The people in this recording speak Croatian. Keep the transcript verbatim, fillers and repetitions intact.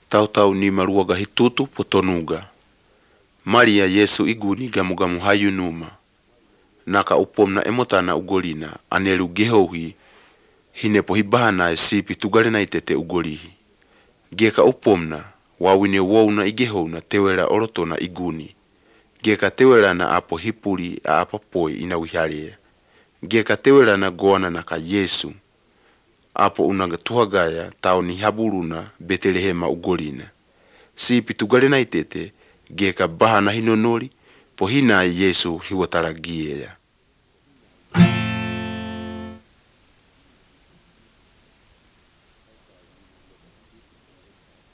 Tautau ni maruaga hitutu potonuga. Maria Yesu iguni gamugamu hayunuma. Naka upomna emotana ugolina anelu gehohi hinepo hibahana sipi tugalena itete ugolihi. Geka upomna wawine wona igehona tewela orotona iguni. Geka tewela na apo hipuli a apapoi inawihalia. Geka tewela na goana naka Yesu. Apo unanga tuhagaya tau ni haburuna Betelehema ugolina. Sipi tugalena itete geka bahana hinonoli pohina Yesu hiwataragia.